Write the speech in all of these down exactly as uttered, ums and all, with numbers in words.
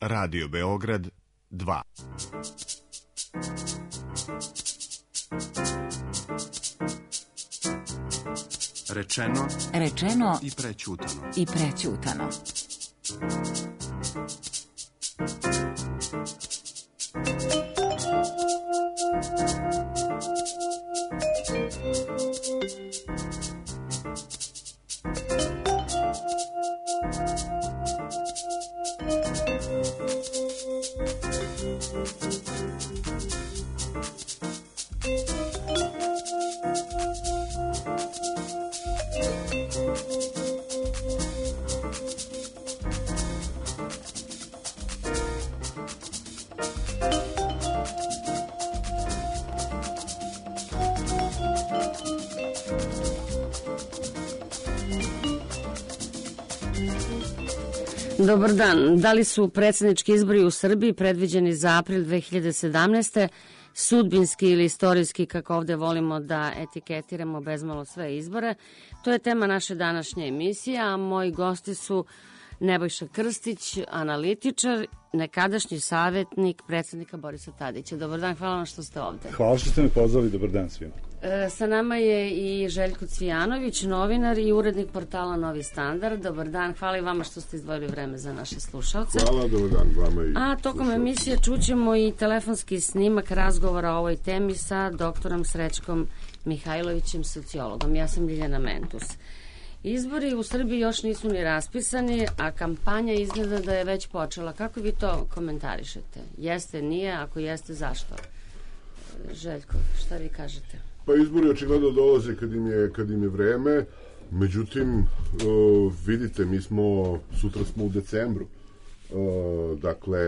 Radio Beograd dva. Rečeno, rečeno i prećutano. I prećutano. Dobar dan. Da li su predsjednički izbori u Srbiji predviđeni za april dve hiljade sedamnaeste. sudbinski ili istorijski, kako ovde volimo da etiketiramo bezmalo sve izbore? To je tema naše današnje emisije, a moji gosti su Nebojša Krstić, analitičar, nekadašnji savjetnik predsjednika Borisa Tadića. Dobar dan, hvala vam što ste ovde. Hvala što ste me pozvali, dobar dan svima. E, sa nama je i Željko Cvijanović, novinar i urednik portala Novi standard. Dobar dan, hvala i vama što ste izdvojili vreme za naše slušalce. Hvala, dobar dan vama i A tokom slušalce. Emisije čućemo i telefonski snimak razgovora o ovoj temi sa doktorom Srećkom Mihajlovićem, sociologom. Ja sam Ljiljana Mentus. Izbori u Srbiji još nisu ni raspisani, a kampanja izgleda da je već počela. Kako vi to komentarišete? Jeste, nije? Ako jeste, zašto? Željko, šta vi kažete? Pa izbori očigledno dolaze kad im je, kad im je vreme, međutim, uh, vidite, mi smo, sutra smo u decembru, uh, dakle,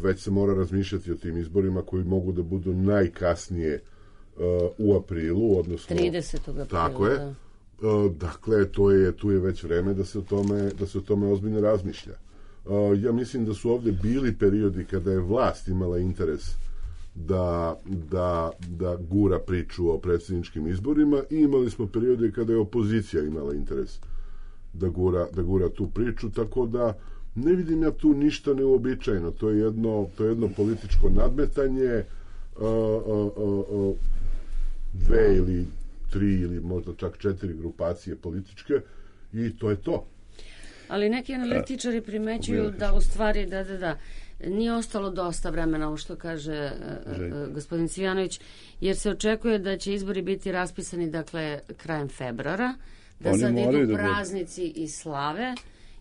već se mora razmišljati o tim izborima koji mogu da budu najkasnije uh, u aprilu, odnosno... tridesetog aprila, tako je. Da. Dakle, to je, tu je već vreme da se o tome, da se o tome ozbiljno razmišlja. Ja mislim da su ovde bili periodi kada je vlast imala interes da, da, da gura priču o predsjedničkim izborima i imali smo periode kada je opozicija imala interes da gura, da gura tu priču, tako da ne vidim ja tu ništa neuobičajeno. To je jedno, to je jedno političko nadmetanje, a, a, a, a, dve ili tri ili možda čak četiri grupacije političke i to je to. Ali neki analitičari primećuju da u stvari da, da, da, nije ostalo dosta vremena, ovo što kaže uh, gospodin Cvijanović, jer se očekuje da će izbori biti raspisani, dakle, krajem februara, da Oni sad idu praznici i slave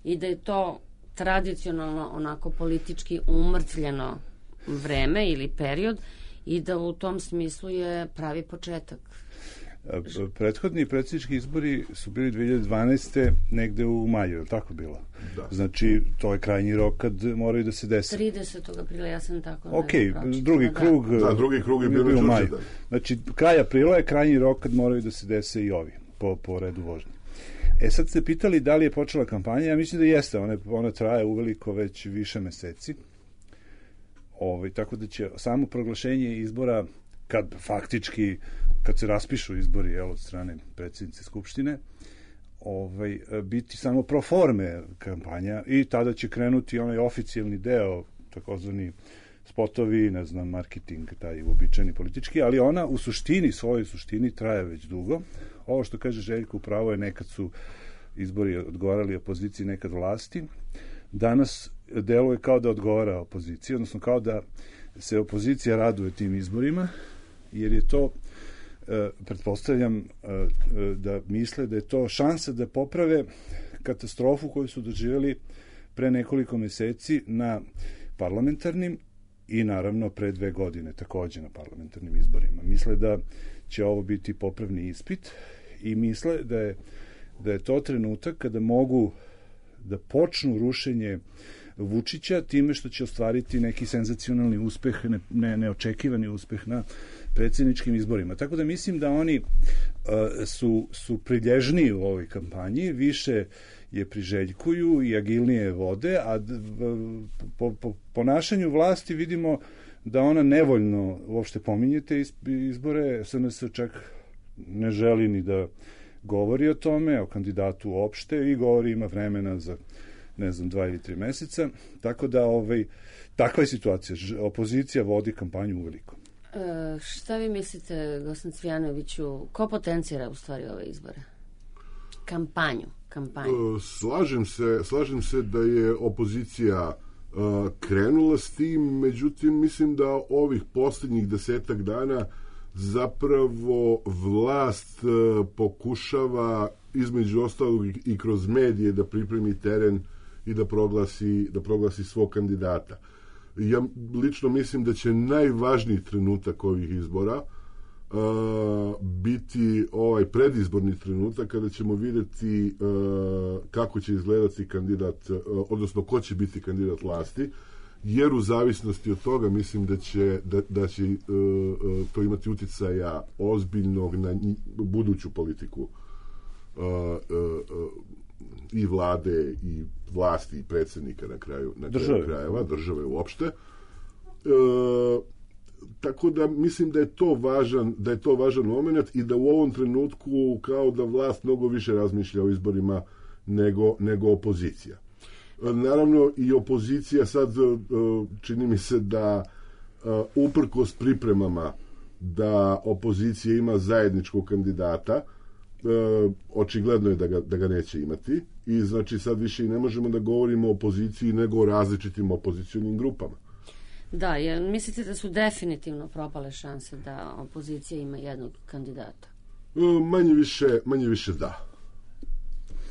i da je to tradicionalno onako politički umrtvljeno vreme ili period i da u tom smislu je pravi početak. Prethodni predsjednički izbori su bili dve hiljade dvanaeste negde u maju, je li tako bilo? Da. Znači, to je krajnji rok kad moraju da se desi. tridesetog aprila, ja sam tako... Ok, drugi da, krug... Da, drugi krug je bio u maju. Znači, kraj aprila je krajnji rok kad moraju da se dese i ovi, po, po redu vožnje. E, sad ste pitali da li je počela kampanja, ja mislim da jeste, ona, ona traje uveliko već više meseci. Ovaj, tako da će samo proglašenje izbora, kad faktički, kad se raspišu izbori, jel, od strane predsjednice Skupštine, ovaj, biti samo pro forme kampanja i tada će krenuti onaj oficijalni deo, takozvani spotovi, ne znam, marketing, taj uobičajeni politički, ali ona u suštini, svojoj suštini traje već dugo. Ovo što kaže Željko, upravo je, nekad su izbori odgovarali opoziciji, nekad vlasti. Danas deluje kao da odgovara opoziciji, odnosno kao da se opozicija raduje tim izborima, jer je to, e, pretpostavljam, e, da misle da je to šansa da poprave katastrofu koju su doživjeli pre nekoliko meseci na parlamentarnim i naravno pre dve godine takođe na parlamentarnim izborima. Misle da će ovo biti popravni ispit i misle da je, da je to trenutak kada mogu da počnu rušenje Vučića time što će ostvariti neki senzacionalni uspeh, ne, ne, neočekivani uspeh na predsjedničkim izborima. Tako da mislim da oni uh, su, su prilježniji u ovoj kampanji, više je priželjkuju i agilnije vode, a d, po, po ponašanju vlasti vidimo da ona nevoljno uopšte pominjete izbore, S N S čak ne želi ni da govori o tome, o kandidatu uopšte, i govori ima vremena za ne znam, dva ili tri meseca. Tako da, ovaj, takva je situacija. Opozicija vodi kampanju uveliko. E, šta vi mislite, gospodin Cvijanoviću, ko potencira u stvari ove izbore? Kampanju. kampanju. Slažem se, slažem se da je opozicija krenula s tim, međutim mislim da ovih posljednjih desetak dana zapravo vlast pokušava između ostalog i kroz medije da pripremi teren i da proglasi, da proglasi svog kandidata. Ja lično mislim da će najvažniji trenutak ovih izbora Uh, biti ovaj predizborni trenutak kada ćemo vidjeti uh, kako će izgledati kandidat, uh, odnosno ko će biti kandidat vlasti, jer u zavisnosti od toga mislim da će, da, da će uh, uh, to imati uticaja ozbiljnog na buduću politiku uh, uh, uh, i vlade i vlasti i predsjednika na kraju, na kraju krajeva, države uopšte. Uh, Tako da mislim da je to važan, da je to važan moment i da u ovom trenutku kao da vlast mnogo više razmišlja o izborima nego, nego opozicija. Naravno i opozicija sad čini mi se da uprkos pripremama da opozicija ima zajedničkog kandidata, očigledno je da ga, da ga neće imati i znači sad više i ne možemo da govorimo o opoziciji nego o različitim opozicionim grupama. Da, jer mislite da su definitivno propale šanse da opozicija ima jednog kandidata? Manje više, manje više da.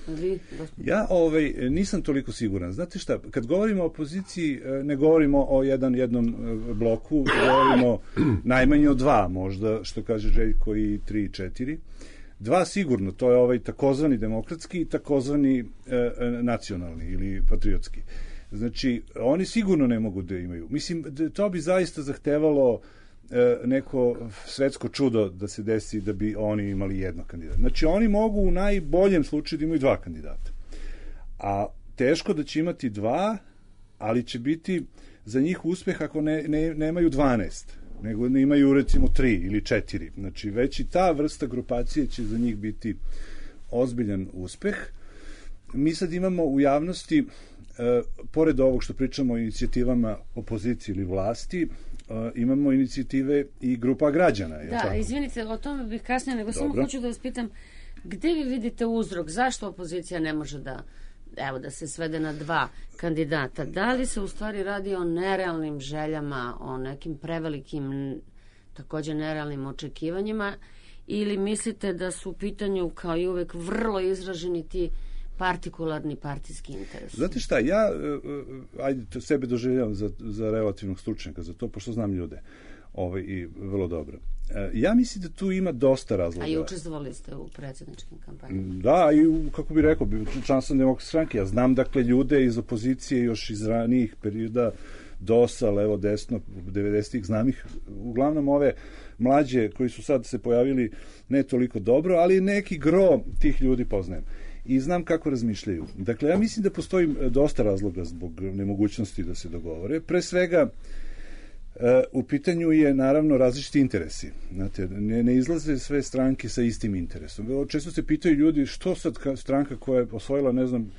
Vi, ja ovaj, nisam toliko siguran. Znate šta, kad govorimo o opoziciji, ne govorimo o jedan, jednom bloku, govorimo najmanje o dva, možda, što kaže Željko, i tri i četiri. Dva sigurno, to je ovaj takozvani demokratski i takozvani e, nacionalni ili patriotski. Znači, oni sigurno ne mogu da imaju. Mislim, to bi zaista zahtevalo e, neko svetsko čudo da se desi da bi oni imali jednog kandidata. Znači, oni mogu u najboljem slučaju da imaju dva kandidata. A teško da će imati dva, ali će biti za njih uspeh ako ne, ne, nemaju dvanaest, nego ne imaju recimo tri ili četiri. Znači, već i ta vrsta grupacije će za njih biti ozbiljan uspeh. Mi sad imamo u javnosti, Uh, pored ovog što pričamo o inicijativama opozicije ili vlasti, uh, imamo inicijative i grupa građana. Je da, tako? Izvinite, o tome bih kasnije, nego Dobro. Samo hoću da vas pitam, gde vi vidite uzrok, zašto opozicija ne može da, evo, da se svede na dva kandidata? Da li se u stvari radi o nerealnim željama, o nekim prevelikim, takođe nerealnim očekivanjima, ili mislite da su u pitanju, kao i uvek, vrlo izraženi ti partikularni partijski interes? Znate šta, ja uh, ajde, to sebe doživljavam za, za relativnog stručnjaka za to, pošto znam ljude ovaj, i vrlo dobro. Uh, ja mislim da tu ima dosta razloga. A i učestvovali ste u predsjedničkim kampanjama? Da, i u, kako bih rekao, član sam Demokratske stranke. Ja znam, dakle, ljude iz opozicije još iz ranijih perioda, DOS-a, levo, desno, devedesetih, znam ih, uglavnom ove mlađe koji su sad se pojavili ne toliko dobro, ali neki gro tih ljudi poznajem. I znam kako razmišljaju. Dakle, ja mislim da postoji dosta razloga zbog nemogućnosti da se dogovore. Pre svega, u pitanju je naravno različiti interesi. Znate, ne, ne izlaze sve stranke sa istim interesom. Često se pitaju ljudi što sad stranka koja je osvojila, ne znam,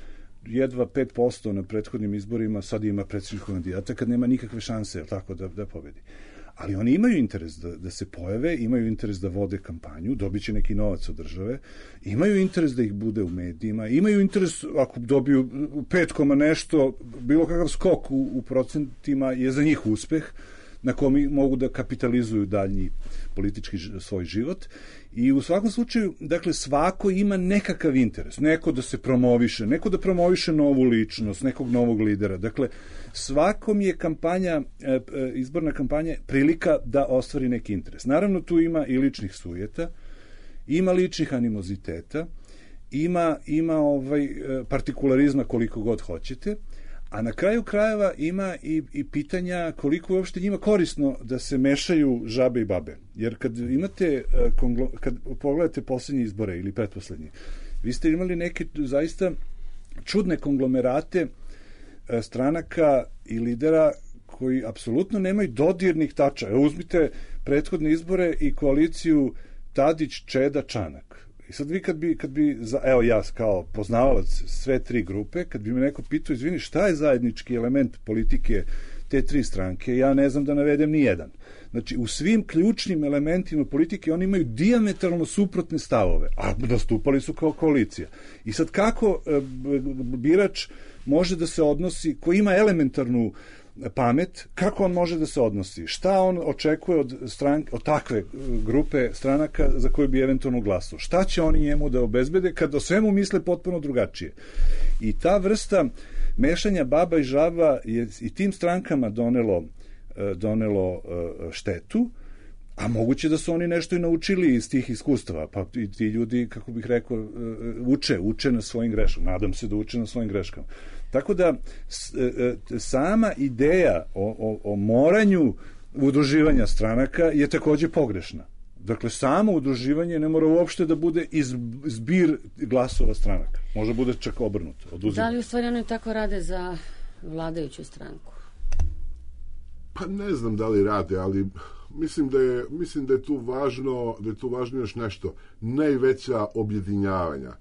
jedva pet posto na prethodnim izborima, sad ima predsjedničkog kandidata kad nema nikakve šanse, tako, da, da pobedi. Ali oni imaju interes da, da se pojave, imaju interes da vode kampanju, dobit će neki novac od države, imaju interes da ih bude u medijima, imaju interes, ako dobiju pet koma nešto, bilo kakav skok u, u procentima je za njih uspeh, na kom mogu da kapitalizuju daljnji politički svoj život. I u svakom slučaju, dakle, svako ima nekakav interes. Neko da se promoviše, neko da promoviše novu ličnost, nekog novog lidera. Dakle, svakom je kampanja, izborna kampanja prilika da ostvari neki interes. Naravno, tu ima i ličnih sujeta, ima ličnih animoziteta, ima, ima ovaj partikularizma koliko god hoćete, a na kraju krajeva ima i, i pitanja koliko je uopšte njima korisno da se mešaju žabe i babe. Jer kad imate, kad pogledate posljednje izbore ili pretposlednje, vi ste imali neke zaista čudne konglomerate stranaka i lidera koji apsolutno nemaju dodirnih tača. Evo, uzmite prethodne izbore i koaliciju Tadić, Čeda, Čanak. I sad vi kad bi, kad bi za, evo ja kao poznavalac sve tri grupe, kad bi me neko pitao, izvini, šta je zajednički element politike te tri stranke, ja ne znam da navedem ni jedan. Znači, u svim ključnim elementima politike oni imaju dijametralno suprotne stavove, a nastupali su kao koalicija. I sad kako e, birač može da se odnosi, ko ima elementarnu pamet, kako on može da se odnosi? Šta on očekuje od, stranke, od takve grupe stranaka za koju bi eventualno glasao? Šta će oni njemu da obezbede kad o svemu misle potpuno drugačije? I ta vrsta mešanja baba i žaba je i tim strankama donelo, donelo štetu, a moguće da su oni nešto i naučili iz tih iskustava, pa i ti ljudi, kako bih rekao, uče, uče na svojim greškama. Nadam se da uče na svojim greškama. Tako da sama ideja o, o, o moranju udruživanja stranaka je takođe pogrešna. Dakle, samo udruživanje ne mora uopšte da bude zbir glasova stranaka. Može bude čak obrnuto. Oduzim. Da li u stvari oni tako rade za vladajuću stranku? Pa ne znam da li rade, ali mislim da je, mislim da je tu važno, da je tu važno još nešto. Najveća objedinjavanja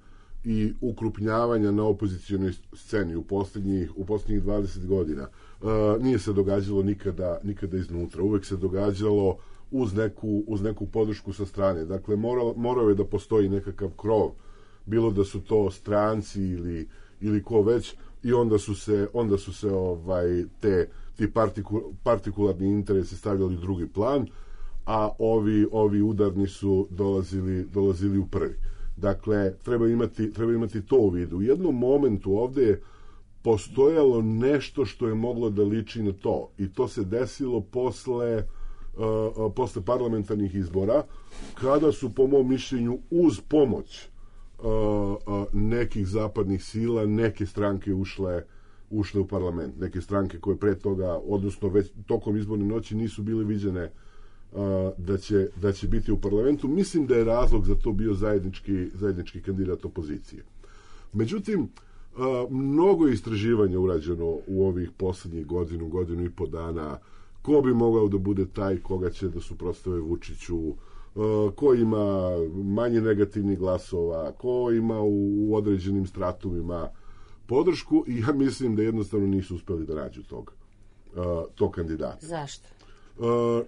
i ukrupnjavanja na opozicijonoj sceni u posljednjih, u posljednjih dvadeset godina uh, nije se događalo nikada, nikada iznutra. Uvek se događalo uz neku, uz neku podršku sa strane. Dakle, morao, morao je da postoji nekakav krov, bilo da su to stranci ili, ili ko već, i onda su se, onda su se ovaj, te, ti partiku, partikularni interesi stavljali u drugi plan, a ovi, ovi udarni su dolazili, dolazili u prvi. Dakle, treba imati, treba imati to u vidu. U jednom momentu ovde je postojalo nešto što je moglo da liči na to, i to se desilo posle Uh, posle parlamentarnih izbora, kada su, po mom mišljenju, uz pomoć uh, uh, nekih zapadnih sila, neke stranke ušle, ušle u parlament. Neke stranke koje pre toga, odnosno već tokom izborne noći, nisu bile viđene uh, da, će, da će biti u parlamentu. Mislim da je razlog za to bio zajednički, zajednički kandidat opozicije. Međutim, uh, mnogo istraživanja urađeno u ovih poslednjih godinu, godinu i po dana, ko bi mogao da bude taj koga će da suprotstave Vučiću, ko ima manje negativnih glasova, ko ima u određenim stratumima podršku, i ja mislim da jednostavno nisu uspeli da nađu tog, tog kandidata. Zašto?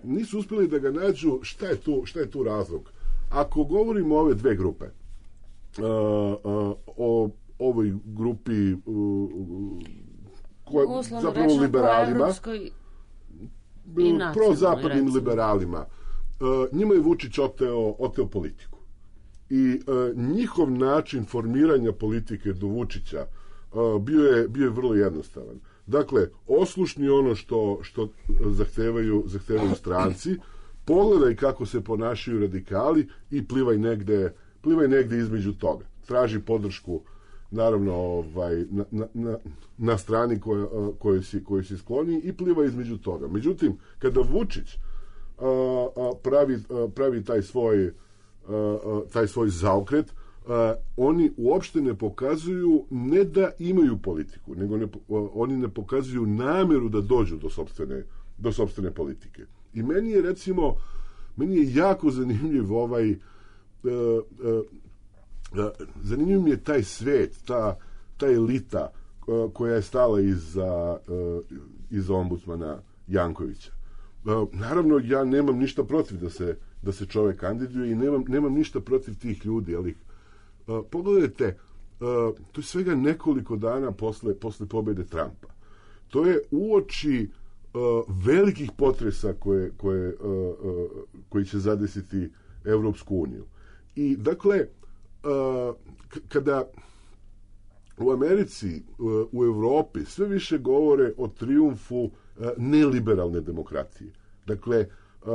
Nisu uspeli da ga nađu. Šta je tu, šta je tu razlog? Ako govorimo o ove dve grupe, o ovoj grupi koja, zapravo liberalima, prozapadnim liberalima, uh, njima je Vučić oteo, oteo politiku. I uh, njihov način formiranja politike do Vučića uh, bio, je, bio je vrlo jednostavan. Dakle, oslušni ono što, što zahtevaju, zahtevaju stranci, pogledaj kako se ponašaju radikali i plivaj negde, plivaj negde između toga. Traži podršku, naravno, ovaj, na, na, na, na strani koje, koje, si, koje si skloni, i pliva između toga. Međutim, kada Vučić a, a, pravi, a, pravi taj svoj, a, a, taj svoj zaokret, a, oni uopšte ne pokazuju ne da imaju politiku, nego ne, a, oni ne pokazuju nameru da dođu do sopstvene, do sopstvene politike. I meni je, recimo, meni je jako zanimljiv ovaj a, a, zanimljiv mi je taj svet, ta, ta elita koja je stala iza, iza ombudsmana Jankovića. Naravno, ja nemam ništa protiv da se, da se čovek kandiduje i nemam, nemam ništa protiv tih ljudi, ali pogledajte, to je svega nekoliko dana posle, posle pobede Trumpa. To je uoči velikih potresa koje, koje, koji će zadesiti Evropsku uniju. I, dakle, Uh, kada u Americi, uh, u Evropi sve više govore o trijumfu uh, neliberalne demokratije. Dakle, uh,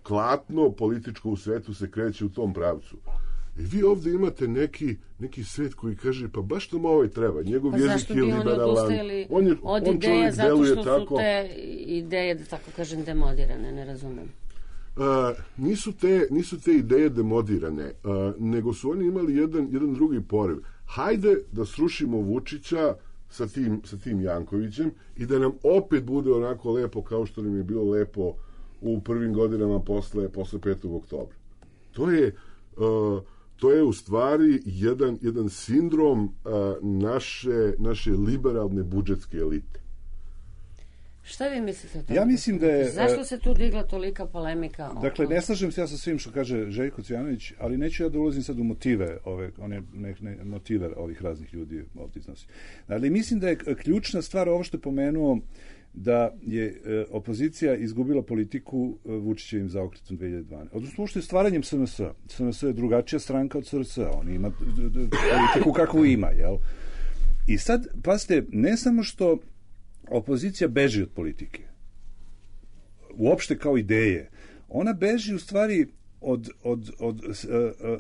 klatno političko u svetu se kreće u tom pravcu. I vi ovdje imate neki, neki svet koji kaže, pa baš to ovaj treba, njegov pa jezik je liberalan. On je, od on ideja, zato što su tako, te ideje, da tako kažem, demodirane, ne razumem. Uh, nisu, te, nisu te ideje demodirane, uh, nego su oni imali jedan, jedan drugi poriv. Hajde da srušimo Vučića sa tim, sa tim Jankovićem i da nam opet bude onako lepo kao što nam je bilo lepo u prvim godinama posle, posle petog oktobra. To je, uh, to je u stvari jedan, jedan sindrom a, naše, naše liberalne budžetske elite. Šta vi mislite o tome? Ja mislim da je... Zašto se tu digla tolika polemika? Dakle, ne slažem se ja sa svim što kaže Željko Cvijanović, ali neću ja da ulazim sad u motive, ove, one, ne, ne, motive ovih raznih ljudi ovdje iznosi. Ali mislim da je ključna stvar ovo što je pomenuo da je e, opozicija izgubila politiku e, Vučićevim zaokretom dve hiljade dvanaeste. Odnosno, uopšte stvaranjem S N S-a. S N S je drugačija stranka od S R S-a. On ima d, d, politiku kakvu ima, jel? I sad, pazite, ne samo što opozicija beži od politike, uopšte kao ideje, ona beži u stvari od, od, od uh,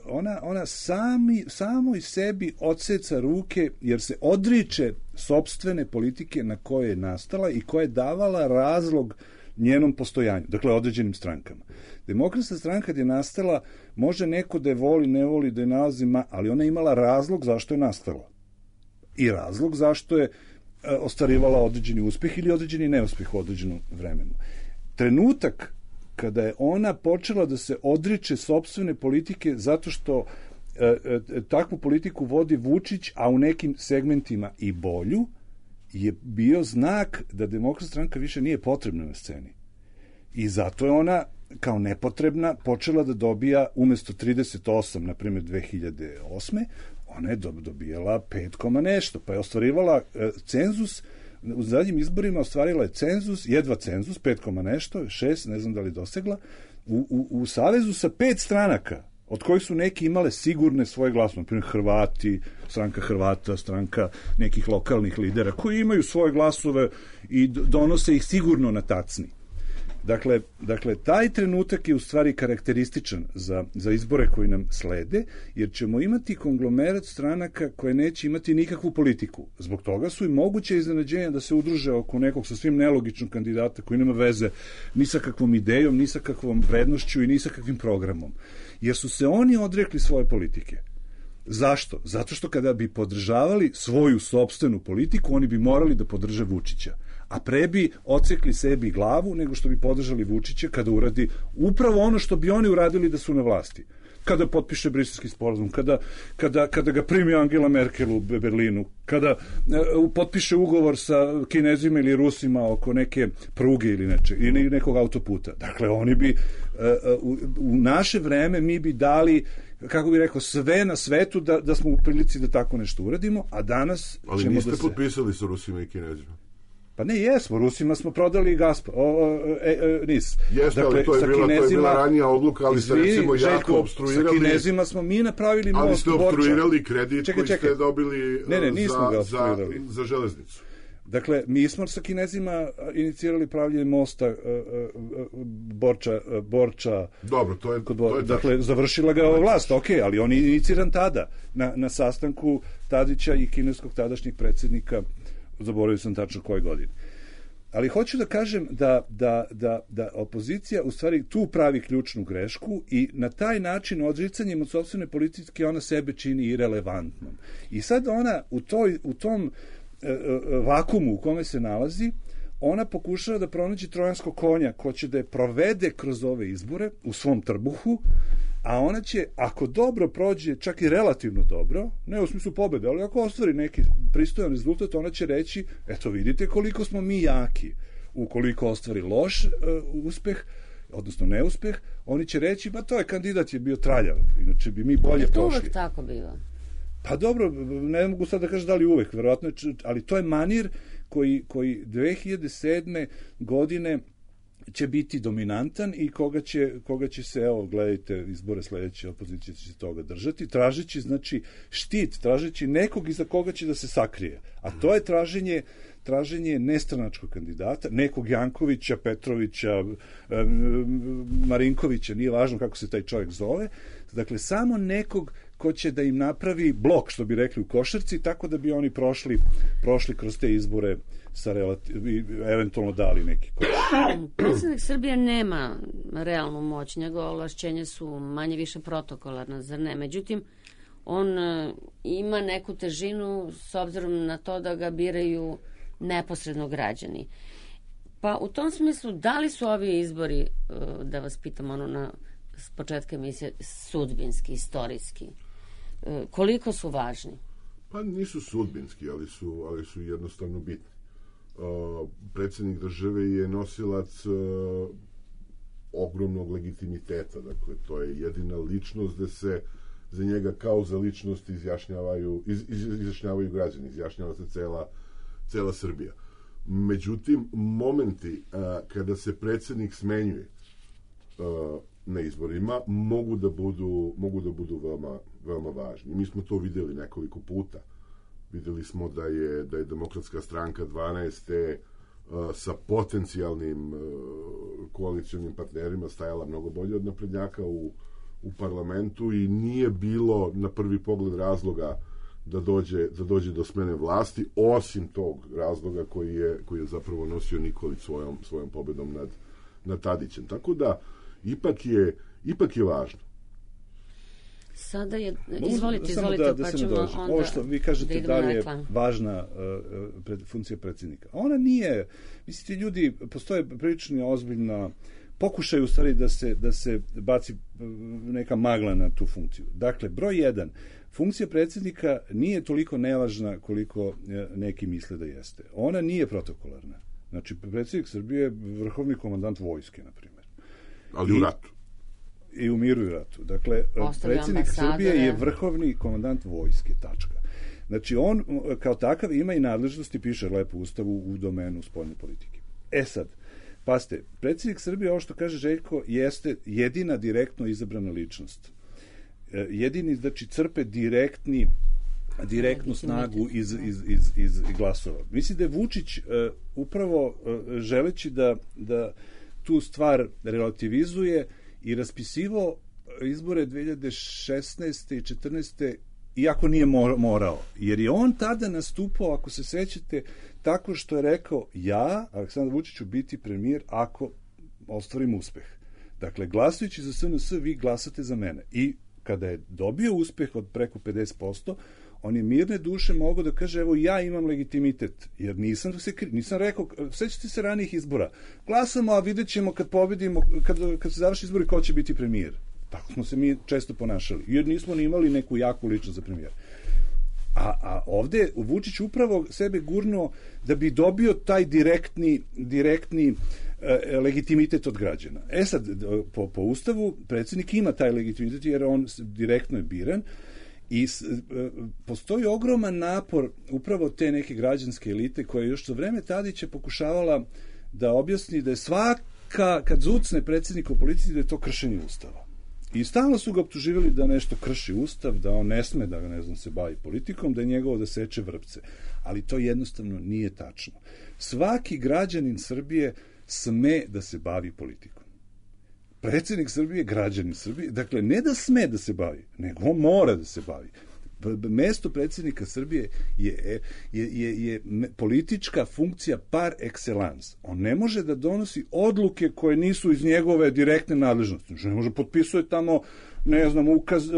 ona, ona sami, samo i sebi odseca ruke jer se odriče sopstvene politike na koje je nastala i koja je davala razlog njenom postojanju, dakle određenim strankama. Demokratska stranka kad je nastala, može neko da je voli, ne voli, da je nalazi, ali ona je imala razlog zašto je nastala. I razlog zašto je ostvarivala određeni uspeh ili određeni neuspeh u određenom vremenu. Trenutak kada je ona počela da se odriče sopstvene politike zato što e, e, takvu politiku vodi Vučić, a u nekim segmentima i bolju, je bio znak da Demokratska stranka više nije potrebna na sceni. I zato je ona kao nepotrebna počela da dobija umesto trideset osam, na primjer dve hiljade osme, ona je dobijala pet koma nešto, pa je ostvarivala e, cenzus, u zadnjim izborima ostvarila je cenzus, jedva cenzus, pet koma nešto, šest, ne znam da li dosegla, u, u, u savezu sa pet stranaka, od kojih su neki imale sigurne svoje glasove, na primjer Hrvati, stranka Hrvata, stranka nekih lokalnih lidera, koji imaju svoje glasove i donose ih sigurno na tacni. Dakle, dakle, taj trenutak je u stvari karakterističan za, za izbore koji nam slede, jer ćemo imati konglomerat stranaka koje neće imati nikakvu politiku. Zbog toga su i moguće iznenađenja da se udruže oko nekog sasvim nelogičnog kandidata koji nema veze ni sa kakvom idejom, ni sa kakvom vrednošću i ni sa kakvim programom. Jer su se oni odrekli svoje politike. Zašto? Zato što kada bi podržavali svoju sopstvenu politiku, oni bi morali da podrže Vučića. A pre bi ocekli sebi glavu nego što bi podržali Vučića kada uradi upravo ono što bi oni uradili da su na vlasti. Kada potpiše Briselski sporazum, kada, kada, kada ga primi Angela Merkel u Berlinu, kada uh, potpiše ugovor sa Kinezima ili Rusima oko neke pruge ili, neče, ili nekog autoputa. Dakle, oni bi uh, u, u naše vreme mi bi dali, kako bih rekao, sve na svetu da, da smo u prilici da tako nešto uradimo, a danas ali ćemo niste da se... potpisali sa Rusima i Kinezima. Pa ne, jesmo, Rusima smo prodali Gazprom, e, e, N I S. Jeste, dakle, ali to je, bila, to je bila ranija odluka, ali ste recimo jako obstruirali... Sa Kinezima smo mi napravili most. Ali ste obstruirali kredit čekaj, koji čekaj. ste dobili ne, ne, nismo za, ga za, za železnicu. Dakle, mi smo sa Kinezima inicirali pravljenje mosta uh, uh, Borča, uh, Borča... Dobro, to je, kod, to je dakle, tačno. završila ga ova vlast, ok, ali on je iniciran tada, na, na sastanku Tadića i kineskog tadašnjeg predsjednika, zaboravio sam tačno koje godine. Ali hoću da kažem da, da, da, da opozicija u stvari tu pravi ključnu grešku i na taj način odricanjem od sopstvene politike ona sebe čini irelevantnom. I sad ona u, toj, u tom e, e, vakumu u kome se nalazi, ona pokušava da pronađe trojanskog konja ko će da je provede kroz ove izbore u svom trbuhu, a ona će, ako dobro prođe, čak i relativno dobro, ne u smislu pobede, ali ako ostvari neki pristojan rezultat, ona će reći, eto vidite koliko smo mi jaki. Ukoliko ostvari loš uh, uspeh, odnosno neuspeh, oni će reći, ba to je kandidat je bio traljav, inače bi mi bolje prošli. To uvek tako biva. Pa dobro, ne mogu sad da kažem da li uvek, verovatno, ali to je manir koji, koji dve hiljade sedme godine će biti dominantan i koga će, koga će se, evo, gledajte, izbore sledeće, opozicija će se toga držati, tražeći, znači, štit, tražeći nekog iza koga će da se sakrije. A to je traženje, traženje nestranačkog kandidata, nekog Jankovića, Petrovića, Marinkovića, nije važno kako se taj čovjek zove, dakle, samo nekog ko će da im napravi blok, što bi rekli u košarci, tako da bi oni prošli, prošli kroz te izbore sa relativ, eventualno dali neki koš. Predsjednik Srbije nema realnu moć, njegove ovlašćenja su manje više protokolarna, zar ne? Međutim, on ima neku težinu s obzirom na to da ga biraju neposredno građani. Pa u tom smislu, da li su ovi izbori, da vas pitam ono na s početka emisije, sudbinski, istorijski? koliko su važni? Pa nisu sudbinski, ali su, ali su jednostavno bitni. Uh, predsjednik države je nosilac uh, ogromnog legitimiteta, dakle to je jedina ličnost da se za njega kao za ličnost izjašnjavaju, iz, iz, izjašnjavaju građani, izjašnjava se cela, cela Srbija. Međutim, momenti a, kada se predsjednik smenjuje a, na izborima mogu da budu, mogu da budu veoma, veoma važni. Mi smo to vidjeli nekoliko puta. Vidjeli smo da je, da je Demokratska stranka dvanaeste a, sa potencijalnim a, koalicionim partnerima stajala mnogo bolje od naprednjaka u u parlamentu i nije bilo na prvi pogled razloga da dođe, da dođe do smene vlasti, osim tog razloga koji je, koji je zapravo nosio Nikolić svojom, svojom pobedom nad, nad Tadićem. Tako da, ipak je, ipak je važno. Sada je, izvolite, samo izvolite, da, da pa se ćemo nadođe. onda Ovo što vi kažete da da li je reklam. važna uh, pred, funkcija predsjednika. Ona nije, mislite, ljudi, postoje prilično ozbiljna pokušaj u stvari da se, da se baci neka magla na tu funkciju. Dakle, broj jedan, funkcija predsjednika nije toliko nevažna koliko neki misle da jeste. Ona nije protokolarna. Znači, predsjednik Srbije je vrhovni komandant vojske, na primjer. Ali I, u ratu. I u miru i ratu. Dakle, Ostavlja predsjednik Srbije je vrhovni komandant vojske, tačka. Znači, on kao takav ima i nadležnosti, piše lepo u Ustavu, u domenu spoljne politike. E sad, paste, predsjednik Srbije, ovo što kaže Željko, jeste jedina direktno izabrana ličnost. Jedini, znači, crpe direktni, direktnu snagu iz, iz, iz, iz glasova. Mislim da je Vučić uh, upravo uh, želeći da, da tu stvar relativizuje i raspisivo izbore dve hiljade šesnaeste i četrnaeste iako nije morao, jer je on tada nastupao, ako se sećate, tako što je rekao, ja, Aleksandar Vučić, ću biti premijer ako ostvarim uspeh. Dakle, glasajući za S N S, vi glasate za mene. I kada je dobio uspeh od preko pedeset posto, on je mirne duše mogao da kaže, evo, ja imam legitimitet, jer nisam, se, nisam rekao, sećate se ranijih izbora, glasamo, a vidjet ćemo kad pobedimo, kad, kad se završi izbori, ko će biti premijer. Tako smo se mi često ponašali, jer nismo ni imali neku jaku ličnost za premijer. A, a ovde Vučić upravo sebe gurnuo da bi dobio taj direktni, direktni e, legitimitet od građana. E sad, po, po Ustavu, predsjednik ima taj legitimitet jer on direktno je biran i s, e, postoji ogroman napor upravo te neke građanske elite koja je još za vreme Tadića pokušavala da objasni da je svaka, kad zucne predsjednika u policiji, da je to kršenje Ustava. I stalno su ga optuživali da nešto krši Ustav, da on ne sme da ne znam, se bavi politikom, da je njegovo da seče vrpce. Ali to jednostavno nije tačno. Svaki građanin Srbije sme da se bavi politikom. Predsjednik Srbije je građanin Srbije, dakle ne da sme da se bavi, nego on mora da se bavi. Mesto predsjednika Srbije je, je, je, je politička funkcija par excellence. On ne može da donosi odluke koje nisu iz njegove direktne nadležnosti. Ne može potpisuje tamo, ne znam, ukaz,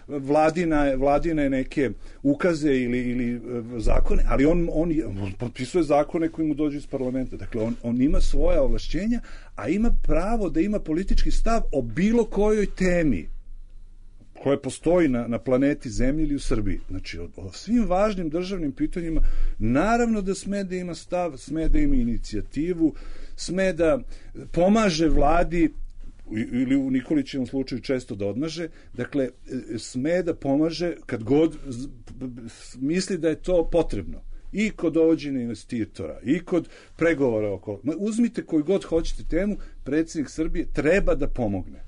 vladine, vladine neke ukaze ili, ili zakone, ali on, on, on potpisuje zakone koji mu dođu iz parlamenta. Dakle, on, on ima svoja ovlašćenja, a ima pravo da ima politički stav o bilo kojoj temi koje postoji na, na planeti Zemlji ili u Srbiji. Znači, o, o svim važnim državnim pitanjima, naravno da sme da ima stav, sme da ima inicijativu, sme da pomaže vladi, ili u Nikolićevom slučaju često da odmaže, dakle, sme da pomaže kad god misli da je to potrebno. I kod dovođenja investitora, i kod pregovora oko... Uzmite koju god hoćete temu, predsjednik Srbije treba da pomogne.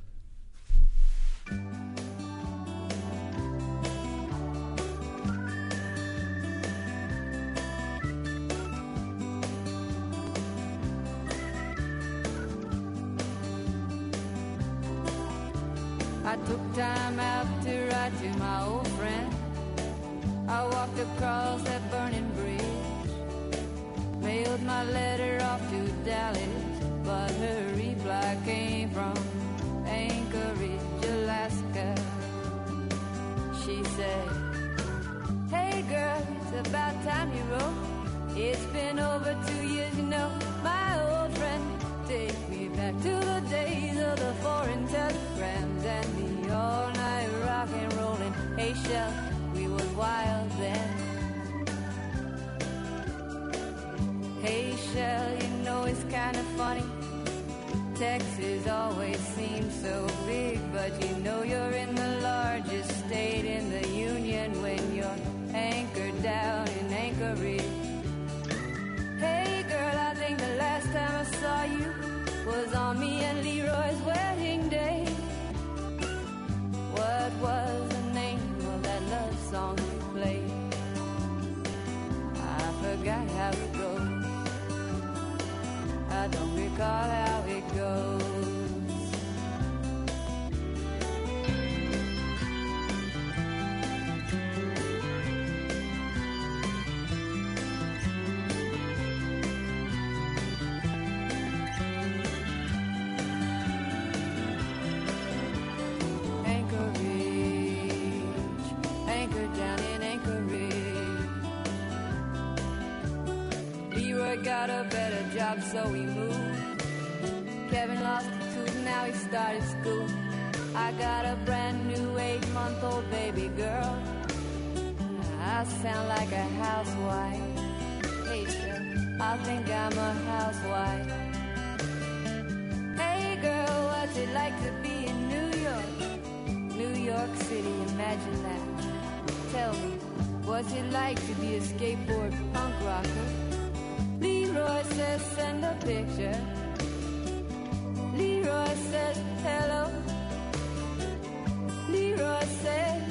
I took time out to write to my old friend. I walked across that burning bridge, mailed my letter off to Dallas, but her reply came from Anchorage, Alaska. She said, hey girl, it's about time you wrote. It's been over two years, you know, my old friend. Take me back to the days of the foreign telegrams and the all-night rock and rollin'. Hey, Shell, we was wild then. Hey Shell, you know it's kind of funny. Texas always seems so big, but you know you're in the largest state in the union when you're anchored down in Anchorage. Hey girl, I think the last time I saw you was on me and Leroy's wedding day. What was the name of that love song you played? I forgot how it goes. I don't recall how it goes. Got a better job, so we moved. Kevin lost a tooth, now he started school. I got a brand new eight-month-old baby girl. I sound like a housewife. Hey, sir, I think I'm a housewife. Hey, girl, what's it like to be in New York? New York City, imagine that. Tell me, what's it like to be a skateboard punk rocker? Leroy says send a picture. Leroy says hello. Leroy says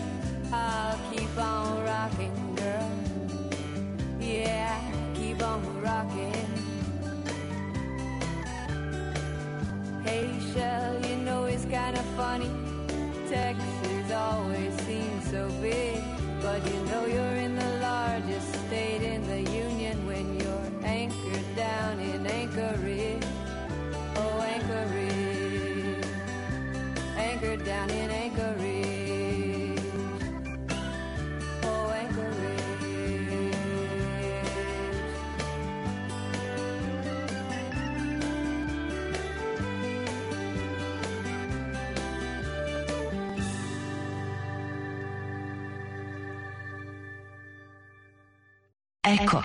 I'll keep on rocking, girl. Yeah, keep on rocking. Hey Shell, you know it's kind of funny. Texas always seems so big, but you know you're in the largest state in the union when you're anchored down in Anchorage. Oh, Anchorage. Anchored down in Anchorage. Oh, Anchorage. Eko.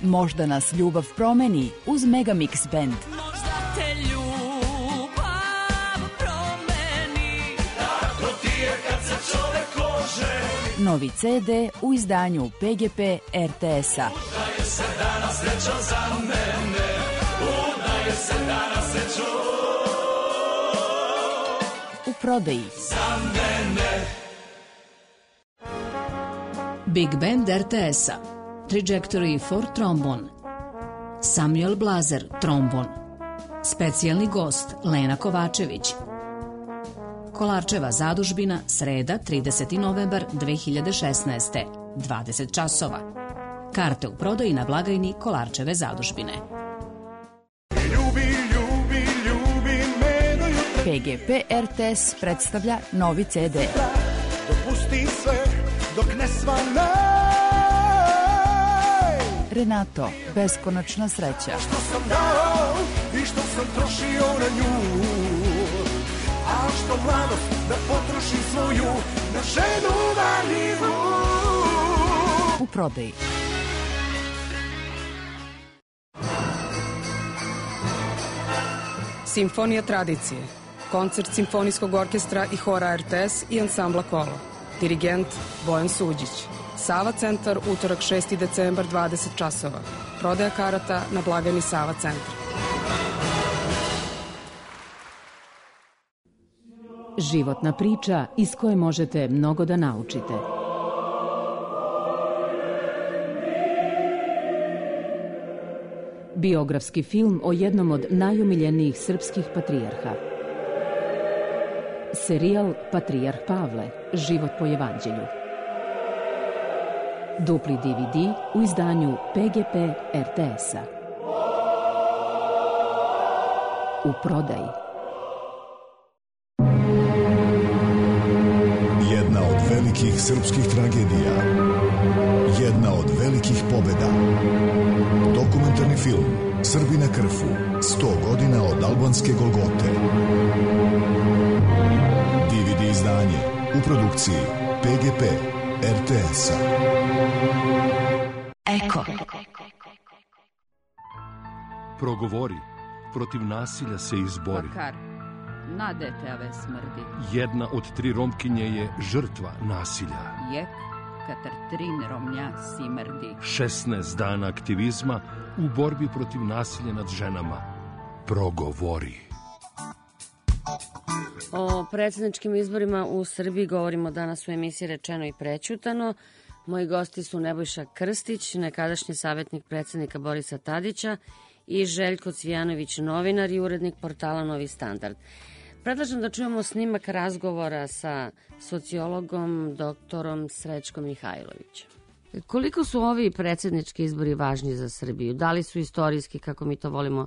Možda nas ljubav promeni uz Megamix Band. Možda te ljubav promeni, tako ti je kad se čovek oženi. Novi ce de u izdanju pe ge pe er te es-a. Udaje se danas srećo za mene, udaje se danas srećo u prodaji. Za mene. Big Band er te es-a, Trajectory for Trombone, Samuel Blazer, trombon, specijalni gost Lena Kovačević. Kolarčeva zadužbina, sreda, trideseti novembar dve hiljade šesnaeste, dvadeset časova. Karte u prodaji na blagajni Kolarčeve zadužbine. Ljubi, ljubi, ljubi me do jutra. pe ge pe er te es predstavlja novi ce de. Dopusti sve dok ne svane. Renato, beskonačna sreća. Što sam dao i što sam trošio na nju, a što mladost da potrošim svoju na ženu marljivu. U prodaji. Simfonija tradicije. Koncert Simfonijskog orkestra i hora er te es i ansambla Kolo. Dirigent Bojan Suđić. Sava centar, utorak šesti decembar, dvadeset časova. Prodaja karata na blagajni Sava centar. Životna priča iz koje možete mnogo da naučite. Biografski film o jednom od najomiljenijih srpskih patrijarha. Serijal Patrijarh Pavle, život po evanđelju. Dupli de ve de u izdanju pe ge pe er te es-a. U prodaji. Jedna od velikih srpskih tragedija. Jedna od velikih pobeda. Dokumentarni film Srbi na krfu. sto godina od Od albanske Golgote. D V D izdanje u produkciji P G P R T S-a. Eko. Progovori, protiv nasilja se izbori. Makar, na deteve smrdi. Jedna od tri Romkinje je žrtva nasilja. Jek, katar trin Romnja simrdi. šesnaest dana aktivizma u borbi protiv nasilja nad ženama. Progovori. O predsjedničkim izborima u Srbiji govorimo danas u emisiji Rečeno i prećutano. Moji gosti su Nebojša Krstić, nekadašnji savjetnik predsjednika Borisa Tadića, i Željko Cvijanović, novinar i urednik portala Novi standard. Predlažem da čujemo snimak razgovora sa sociologom doktorom Srećkom Mihajlovićem. Koliko su ovi predsjednički izbori važni za Srbiju? Da li su istorijski, kako mi to volimo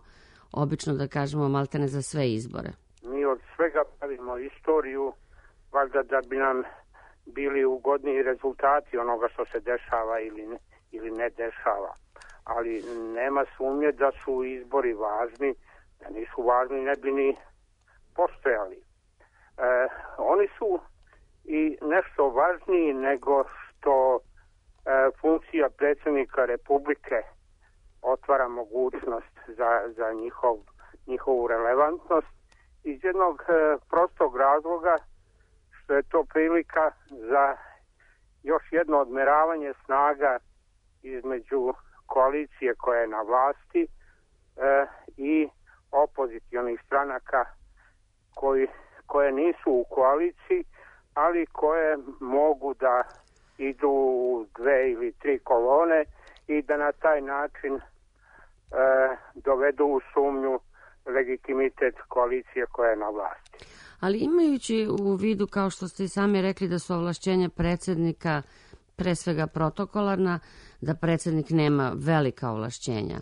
obično da kažemo, maltene za sve izbore? Mi od svega pravimo istoriju, valjda da bi nam bili ugodniji rezultati onoga što se dešava ili ne, ili ne dešava. Ali nema sumnje da su izbori važni, da nisu važni ne bi ni postojali. E, oni su i nešto važniji nego što e, funkcija predsjednika Republike otvara mogućnost za, za njihov, njihovu relevantnost iz jednog e, prostog razloga što je to prilika za još jedno odmeravanje snaga između koalicije koja je na vlasti e, i opozicionih stranaka koji, koje nisu u koaliciji, ali koje mogu da idu u dve ili tri kolone i da na taj način e, dovedu u sumnju legitimitet koalicije koja je na vlasti. Ali imajući u vidu, kao što ste i sami rekli, da su ovlašćenja predsjednika pre svega protokolarna, da predsjednik nema velika ovlašćenja,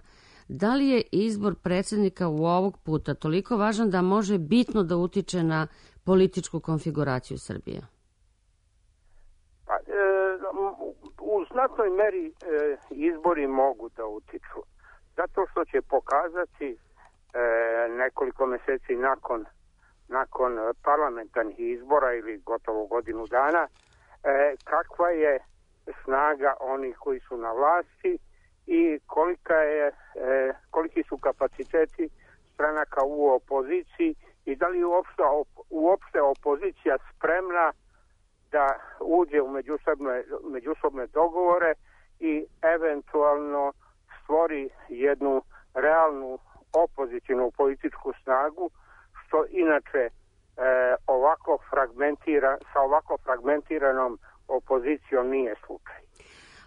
da li je izbor predsjednika u ovog puta toliko važan da može bitno da utiče na političku konfiguraciju Srbije? Pa, e, u znatnoj meri e, izbori mogu da utiču. Zato što će pokazati e, nekoliko meseci nakon, nakon parlamentarnih izbora ili gotovo godinu dana e, kakva je snaga onih koji su na vlasti i kolika je, e, koliki su kapaciteti stranaka u opoziciji i da li je uopšte, uopšte opozicija spremna da uđe u međusobne, međusobne dogovore i eventualno stvori jednu realnu opozicijnu političku snagu, što inače e, ovako fragmentira, sa ovako fragmentiranom opozicijom nije slučaj.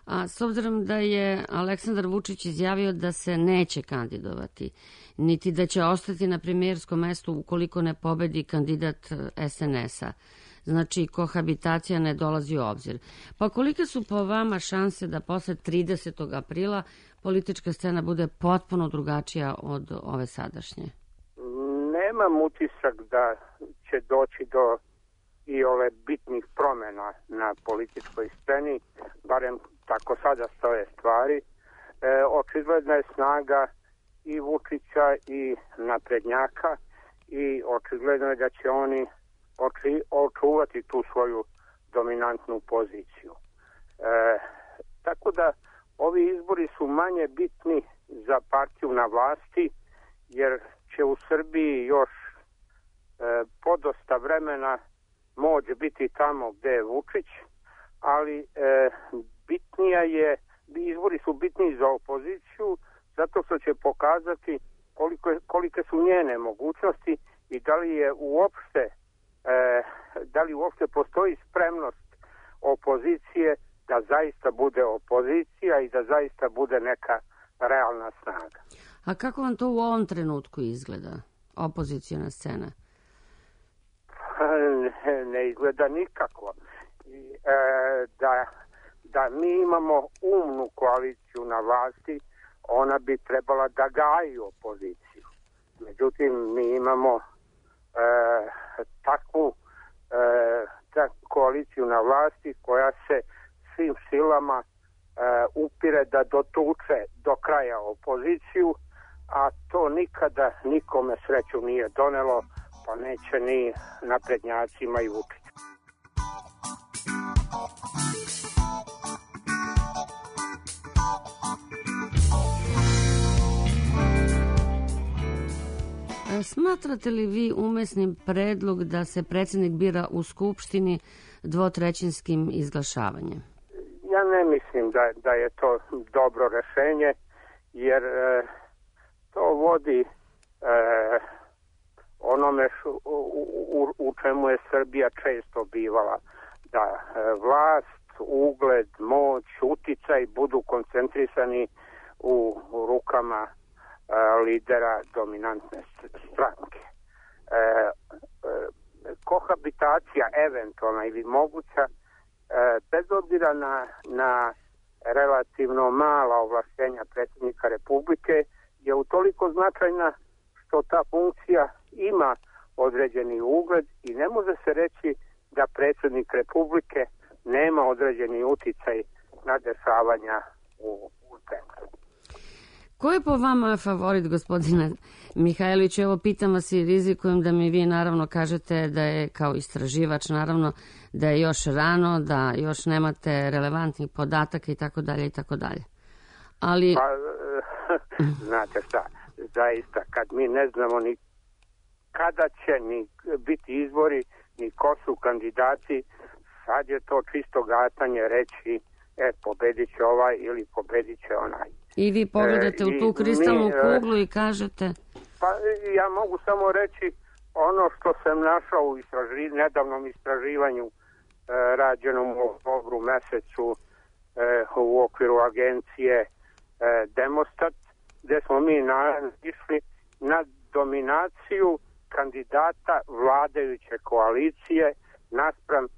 A s obzirom da je Aleksandar Vučić izjavio da se neće kandidovati, niti da će ostati na premijerskom mestu ukoliko ne pobedi kandidat S N S-a, znači kohabitacija ne dolazi u obzir. Pa kolike su po vama šanse da posle tridesetog aprila politička scena bude potpuno drugačija od ove sadašnje? Nemam utisak da će doći do i ove bitnih promjena na političkoj sceni, barem tako sada stoje stvari. E, očigledna je snaga i Vučića i naprednjaka i očigledno je da će oni oči, očuvati tu svoju dominantnu poziciju. E, tako da ovi izbori su manje bitni za partiju na vlasti, jer će u Srbiji još e, podosta vremena moć biti tamo gde je Vučić, ali e, bitnija je, izbori su bitniji za opoziciju zato što će pokazati koliko, kolike su njene mogućnosti i da li je uopšte e, da li uopšte postoji spremnost opozicije da zaista bude opozicija i da zaista bude neka realna snaga. A kako vam to u ovom trenutku izgleda, opozicijona scena? Ne, ne izgleda nikako. I, e, da, da mi imamo umnu koaliciju na vlasti, ona bi trebala da gaji opoziciju. Međutim, mi imamo e, takvu e, tak, koaliciju na vlasti koja se svim silama e, upire da dotuče do kraja opoziciju, a to nikada nikome sreću nije donelo, pa neće ni naprednjacima i Vučiću. Smatrate li vi umesnim predlog da se predsjednik bira u Skupštini dvotrećinskim izglašavanjem? Ja ne mislim da, da je to dobro rešenje, jer e, to vodi e, onome š, u, u, u čemu je Srbija često bivala, da e, vlast, ugled, moć, uticaj budu koncentrisani u, u rukama lidera dominantne stranke. E, e, kohabitacija eventualna ili moguća, e, bez obzira na, na relativno mala ovlaštenja predsjednika Republike, je utoliko značajna što ta funkcija ima određeni ugled i ne može se reći da predsjednik Republike nema određeni uticaj na dešavanja u, u zemlji. Ko je po vama favorit, gospodine Mihajlović? Evo, pitam vas i rizikujem da mi vi naravno kažete da je kao istraživač, naravno, da je još rano, da još nemate relevantnih podataka i tako dalje i tako dalje. Ali... Pa, znate šta, zaista, kad mi ne znamo ni kada će ni biti izbori, ni ko su kandidati, sad je to čisto gatanje reći, e, pobedit će ovaj ili pobedit će onaj. I vi pogledate e, u tu kristalnu mi, kuglu i kažete... Pa ja mogu samo reći ono što sam našao u istraži, nedavnom istraživanju e, rađenom u oktobru mesecu e, u okviru agencije e, Demostat, gde smo mi išli na dominaciju kandidata vladajuće koalicije naspram e,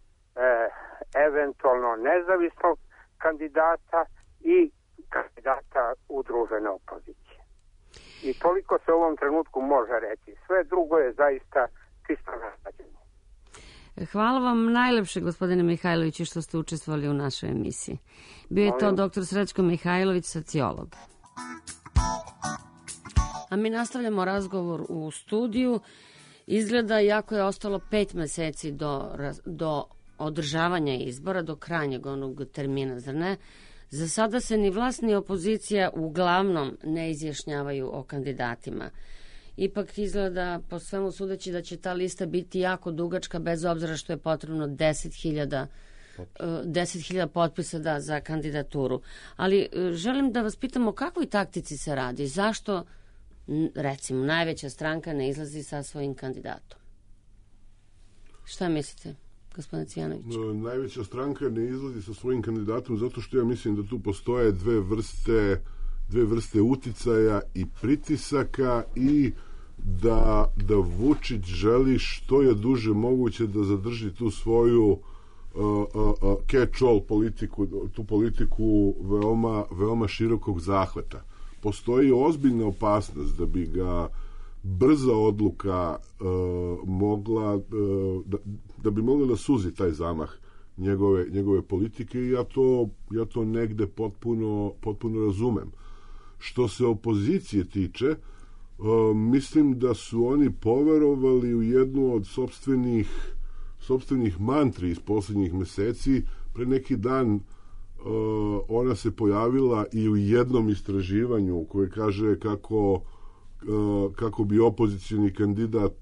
eventualno nezavisnog kandidata i kandidata udružene opozicije. I toliko se u ovom trenutku može reći. Sve drugo je zaista čisto naslađenje. Hvala vam najlepše, gospodine Mihajloviću, što ste učestvovali u našoj emisiji. Bio je to doktor Srećko Mihajlović, sociolog. A mi nastavljamo razgovor u studiju. Izgleda, jako je ostalo pet meseci do, do održavanja izbora, do krajnjeg onog termina, zar ne? Za sada se ni vlast ni opozicija uglavnom ne izjašnjavaju o kandidatima. Ipak izgleda, po svemu sudeći, da će ta lista biti jako dugačka, bez obzira što je potrebno deset hiljada potpisa da, za kandidaturu. Ali želim da vas pitam o kakvoj taktici se radi. Zašto, recimo, najveća stranka ne izlazi sa svojim kandidatom? Šta mislite, gospodine Cvijanović? No, najveća stranka ne izlazi sa svojim kandidatom zato što ja mislim da tu postoje dve vrste, dve vrste uticaja i pritisaka i da, da Vučić želi što je duže moguće da zadrži tu svoju uh, uh, uh, catch-all politiku, tu politiku veoma, veoma širokog zahvata. Postoji ozbiljna opasnost da bi ga brza odluka uh, mogla uh, da, da bi mogla da suzi taj zamah njegove, njegove politike i ja to, ja to negde potpuno, potpuno razumem. Što se opozicije tiče, uh, mislim da su oni poverovali u jednu od sopstvenih, sopstvenih mantri iz posljednjih meseci. Pre neki dan uh, ona se pojavila i u jednom istraživanju koje kaže kako kako bi opozicioni kandidat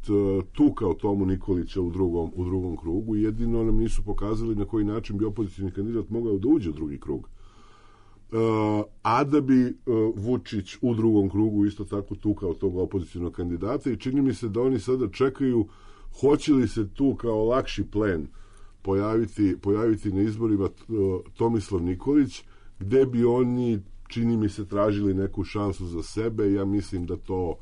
tukao Tomu Nikolića u drugom, u drugom krugu. Jedino nam nisu pokazali na koji način bi opozicioni kandidat mogao da uđe u drugi krug. A da bi Vučić u drugom krugu isto tako tukao tog opozicijonog kandidata i čini mi se da oni sada čekaju hoće li se tu kao lakši plen pojaviti, pojaviti na izborima Tomislav Nikolić, gde bi oni čini mi se tražili neku šansu za sebe. Ja mislim da to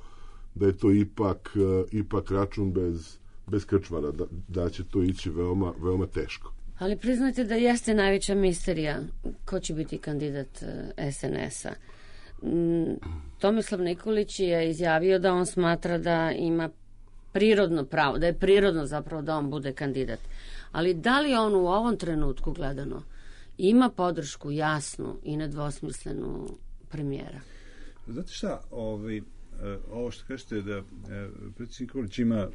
da je to ipak ipak račun bez bez krčmara, da, da će to ići veoma veoma teško. Ali priznajte da jeste najveća misterija ko će biti kandidat es en es-a. Tomislav Nikolić je izjavio da on smatra da ima prirodno pravo, da je prirodno zapravo da on bude kandidat. Ali da li on u ovom trenutku gledano ima podršku jasnu i nedvosmislenu premijera? Znate šta, ovaj, ovo što kažete da predsjednik Nikolić ima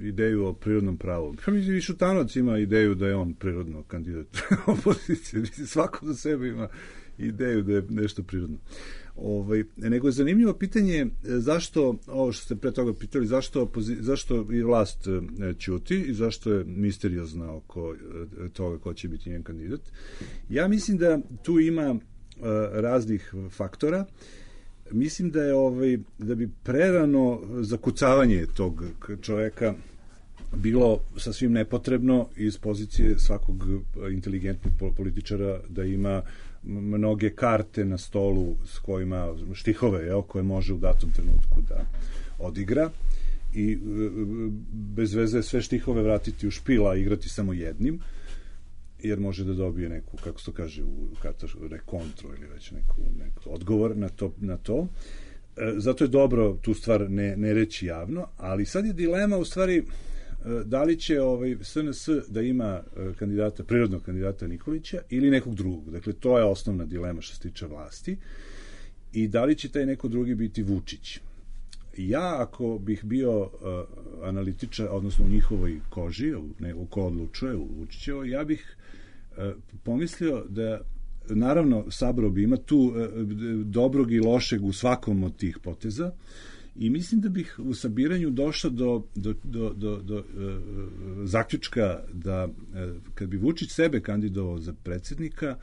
ideju o prirodnom pravu. Pa mislim i Šutanovac ima ideju da je on prirodno kandidat opozicije. Svako za sebe ima ideju da je nešto prirodno. Ovaj, nego je zanimljivo pitanje zašto, ovo što ste pre toga pitali, zašto, zašto i vlast ćuti i zašto je misteriozna oko toga ko će biti njen kandidat. Ja mislim da tu ima uh, raznih faktora. Mislim da je ovaj, da bi prerano zakucavanje tog čoveka bilo sasvim nepotrebno iz pozicije svakog inteligentnog političara da ima mnoge karte na stolu s kojima štihove, jel, koje može u datom trenutku da odigra i bez veze sve štihove vratiti u špila, igrati samo jednim, jer može da dobije neku, kako se to kaže, u katastrofu, rekontru ili već neku, neku odgovor na to, na to. Zato je dobro tu stvar ne, ne reći javno, ali sad je dilema u stvari da li će ovaj S N S da ima kandidata, prirodnog kandidata Nikolića ili nekog drugog. Dakle, to je osnovna dilema što se tiče vlasti. I da li će taj neko drugi biti Vučić. Ja, ako bih bio uh, analitičar, odnosno u njihovoj koži, u, ne, u ko odlučuje, u Vučićevo, ja bih uh, pomislio da, naravno, sabrao bi ima tu uh, dobrog i lošeg u svakom od tih poteza, i mislim da bih u sabiranju došao do, do, do, do, do uh, zaključka da uh, kad bi Vučić sebe kandidovao za predsjednika,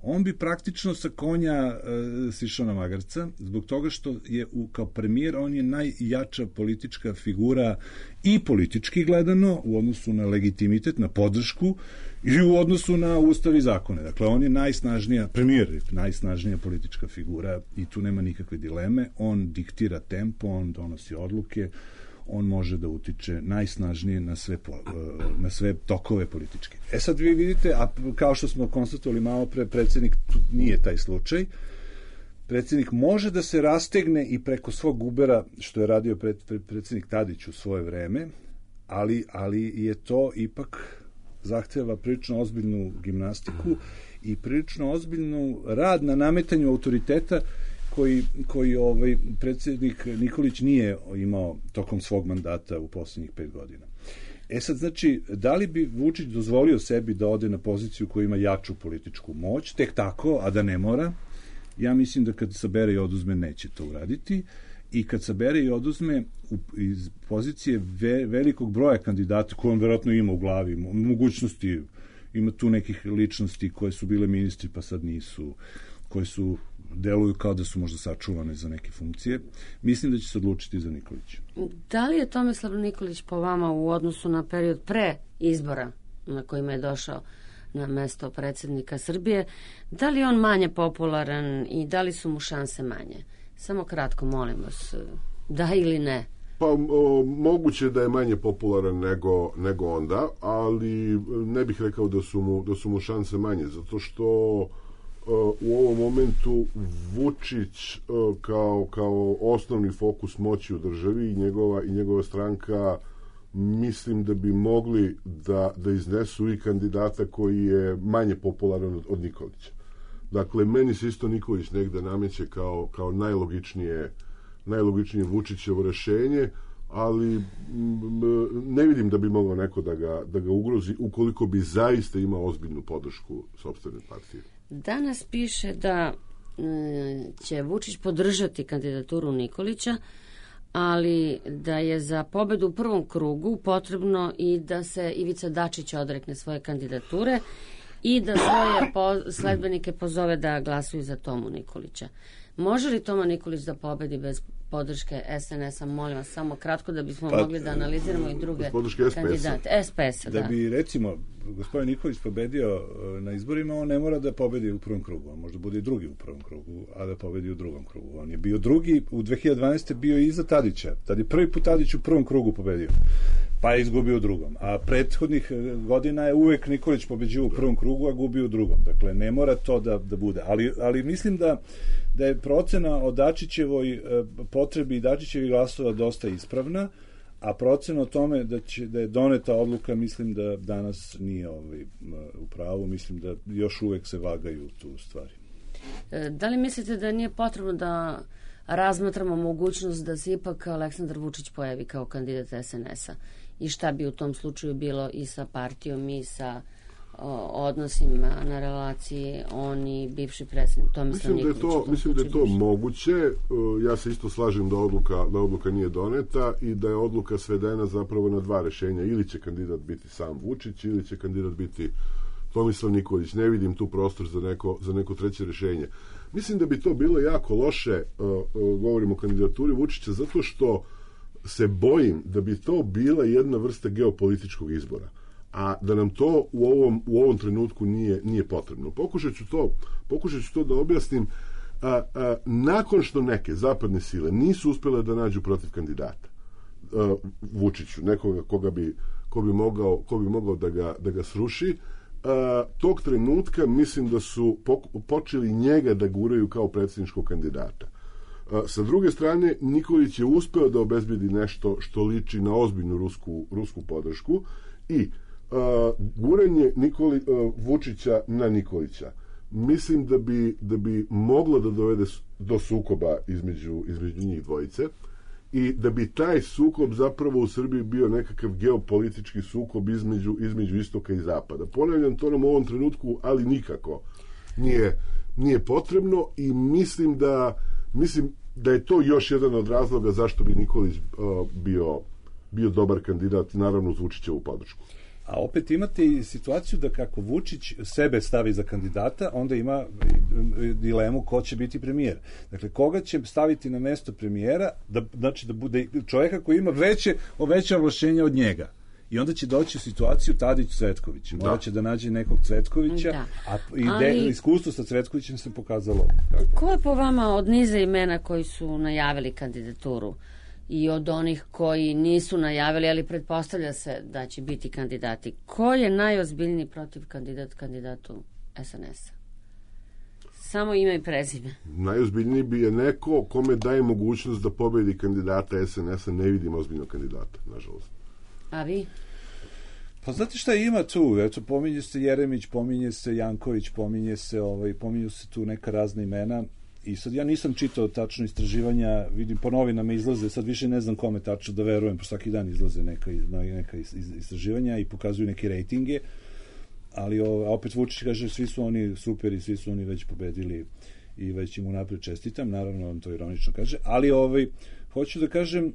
on bi praktično sa konja uh, sišao na magarca, zbog toga što je u, kao premijer on je najjača politička figura i politički gledano u odnosu na legitimitet, na podršku i u odnosu na ustav i zakone. Dakle, on je najsnažnija, premijer najsnažnija politička figura i tu nema nikakve dileme. On diktira tempo, on donosi odluke, on može da utiče najsnažnije na sve, na sve tokove političke. E sad vi vidite, a kao što smo konstatovali malo pre, predsjednik nije taj slučaj. Predsjednik može da se rastegne i preko svog Ubera, što je radio pred, pred, predsjednik Tadić u svoje vreme, ali, ali je to ipak zahteva prilično ozbiljnu gimnastiku i prilično ozbiljnu rad na nametanju autoriteta koji, koji ovaj predsjednik Nikolić nije imao tokom svog mandata u posljednjih pet godina. E sad, znači, da li bi Vučić dozvolio sebi da ode na poziciju koja ima jaču političku moć, tek tako, a da ne mora? Ja mislim da kad sabere i oduzme neće to uraditi, i kad sabere i oduzme u, iz pozicije ve, velikog broja kandidata koje on verovatno ima u glavi, mogućnosti, ima tu nekih ličnosti koje su bile ministri pa sad nisu, koje su deluju kao da su možda sačuvane za neke funkcije, mislim da će se odlučiti za Nikolića. Da li je Tomislav Nikolić po vama u odnosu na period pre izbora na kojima je došao na mesto predsjednika Srbije, da li je on manje popularan i da li su mu šanse manje? Samo kratko, molim vas, da ili ne? Pa o, moguće da je manje popularan nego, nego onda, ali ne bih rekao da su mu, da su mu šanse manje, zato što o, u ovom momentu Vučić o, kao, kao osnovni fokus moći u državi i njegova, i njegova stranka, mislim da bi mogli da, da iznesu i kandidata koji je manje popularan od, od Nikolića. Dakle, meni se isto Nikolić negde nameće kao, kao najlogičnije, najlogičnije Vučićevo rešenje, ali m, ne vidim da bi mogao neko da ga, da ga ugrozi ukoliko bi zaista imao ozbiljnu podršku sopstvene partije. Danas piše da e, će Vučić podržati kandidaturu Nikolića, ali da je za pobedu u prvom krugu potrebno i da se Ivica Dačić odrekne svoje kandidature i da svoje po, sledbenike pozove da glasuju za Tomu Nikolića. Može li Toma Nikolić da pobedi bez podrške S N S-a? Molim vas, samo kratko da bismo pa, mogli da analiziramo i druge kandidate. S P S-a, da. Da bi, recimo, gospodin Nikolić pobedio na izborima, on ne mora da pobedi u prvom krugu. On možda bude i drugi u prvom krugu, a da pobedi u drugom krugu. On je bio drugi, u dve hiljade dvanaeste. bio iza Tadića. Tad je prvi put Tadić u prvom krugu pobedio, pa je izgubio u drugom. A prethodnih godina je uvek Nikolić pobeđio u prvom krugu, a gubio u drugom. Dakle, ne mora to da, da bude. Ali, ali mislim da, da je procena o Dačićevoj potrebi i Dačićevih glasova dosta ispravna, a procena o tome da, će, da je doneta odluka, mislim da danas nije ovaj, u pravu. Mislim da još uvek se vagaju tu stvari. Da li mislite da nije potrebno da razmatramo mogućnost da se ipak Aleksandar Vučić pojavi kao kandidat es en es a i šta bi u tom slučaju bilo i sa partijom i sa o, odnosima na relaciji on i bivši predsjednik Tomislav Nikolić. Mislim da je to, mislim da je to moguće. Ja se isto slažem da odluka, da odluka nije doneta i da je odluka svedena zapravo na dva rešenja. Ili će kandidat biti sam Vučić ili će kandidat biti Tomislav Nikolić. Ne vidim tu prostor za neko, za neko treće rešenje. Mislim da bi to bilo jako loše, uh, uh, govorimo o kandidaturi Vučića, zato što se bojim da bi to bila jedna vrsta geopolitičkog izbora, a da nam to u ovom, u ovom trenutku nije, nije potrebno. Pokušat ću to, pokušat ću to da objasnim. A, a, nakon što neke zapadne sile nisu uspjele da nađu protiv kandidata a, Vučiću, nekoga koga bi, ko bi mogao, ko bi mogao da ga, da ga sruši, a, tog trenutka mislim da su počeli njega da guraju kao predsjedničkog kandidata. A, sa druge strane, Nikolić je uspeo da obezbedi nešto što liči na ozbiljnu rusku, rusku podršku i a, guranje Nikoli, a, Vučića na Nikolića mislim da bi, da bi moglo da dovede do sukoba između, između njih dvojice i da bi taj sukob zapravo u Srbiji bio nekakav geopolitički sukob između, između istoka i zapada. Ponavljam, to nam u ovom trenutku, ali nikako nije, nije potrebno i mislim da, mislim da je to još jedan od razloga zašto bi Nikolić uh, bio, bio dobar kandidat, naravno uz Vučićevu podršku. A opet imate i situaciju da kako Vučić sebe stavi za kandidata, onda ima dilemu ko će biti premijer. Dakle, koga će staviti na mesto premijera, da, znači da bude čovjeka koji ima veće, veće ovlašćenja od njega. I onda će doći u situaciju Tadić-Cvetković. Morat će da nađe nekog Cvetkovića, da. A ide, ali iskustvo sa Cvetkovićem se pokazalo. Kako. Ko je po vama od niza imena koji su najavili kandidaturu i od onih koji nisu najavili, ali pretpostavlja se da će biti kandidati, ko je najozbiljniji protiv kandidat kandidatu es en es a? Samo ime i prezime. Najozbiljniji bi je neko kome daje mogućnost da pobedi kandidata es en es a. Ne vidim ozbiljnog kandidata, nažalost. A vi? Pa znate šta ima tu? Eto, pominje se Jeremić, pominje se Janković, pominje se, ovaj, pominju se tu neka razna imena. I sad ja nisam čitao tačno istraživanja, vidim po novinama izlaze, sad više ne znam kome tačno da verujem, po svaki dan izlaze neka, neka istraživanja i pokazuju neke rejtinge, ali o, opet Vučić kaže svi su oni super i svi su oni već pobedili i već im unapred čestitam, naravno on to ironično kaže, ali ovaj, hoću da kažem,